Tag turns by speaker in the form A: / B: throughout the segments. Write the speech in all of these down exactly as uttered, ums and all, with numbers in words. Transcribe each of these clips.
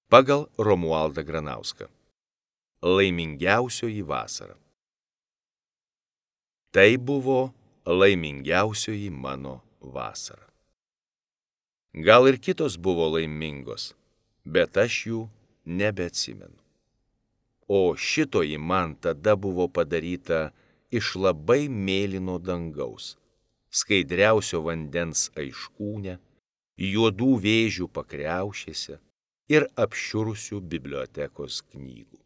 A: Pagal Romualdą Granauską. Laimingiausioji vasara. Tai buvo laimingiausioji mano vasara. Gal ir kitos buvo laimingos, bet aš jų nebeatsimenu. O šitoji man tada buvo padaryta iš labai mėlyno dangaus, skaidriausio vandens aiškūne, juodų vėžių pakriaušėse ir apšiurusių bibliotekos knygų.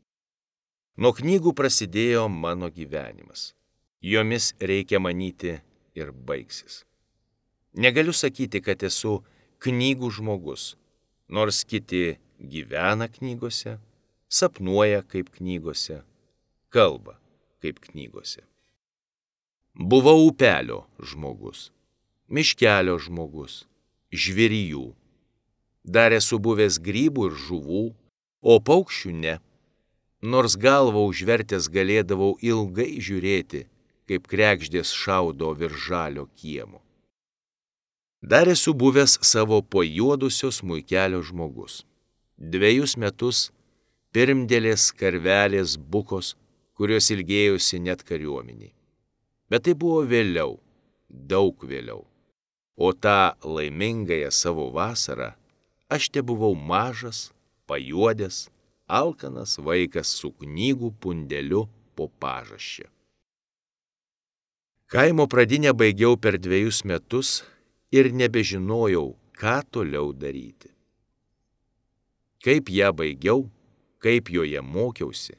A: Nuo knygų prasidėjo mano gyvenimas. Jomis reikia manyti ir baigsis. Negaliu sakyti, kad esu knygų žmogus, nors kiti gyvena knygose, sapnuoja kaip knygose, kalba kaip knygose. Buvau upelio žmogus, miškelio žmogus, žvėrijų. Dar esu buvęs grybų ir žuvų, o paukščių ne. Nors galvą užvertęs galėdavau ilgai žiūrėti, kaip kregždės šaudo virš žalio kiemo. Dar esu buvęs savo pajuodusio smuikelio žmogus. Dvejus metus pirmdėlės karvelės bukos, kurios ilgėjosi net kariuomeniai. Bet tai buvo vėliau, daug vėliau. O tą laimingąją savo vasarą aš tebuvau mažas, pajuodęs, alkanas vaikas su knygų pundeliu po pažasčia. Kaimo pradinę baigiau per dviejus metus ir nebežinojau, ką toliau daryti. Kaip ją baigiau, kaip joje mokiausi,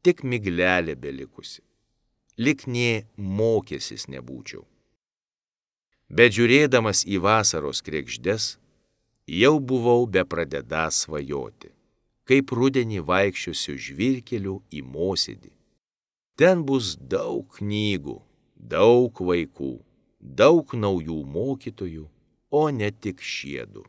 A: tik miglelė belikusi. Lyg nė mokęsis nebūčiau. Bet žiūrėdamas į vasaros kregždes, jau buvau bepradedąs svajoti, kaip rudenį vaikščiosiu žvyrkeliu į mosėdį. Ten bus daug knygų, daug vaikų, daug naujų mokytojų, o ne tik šiedu.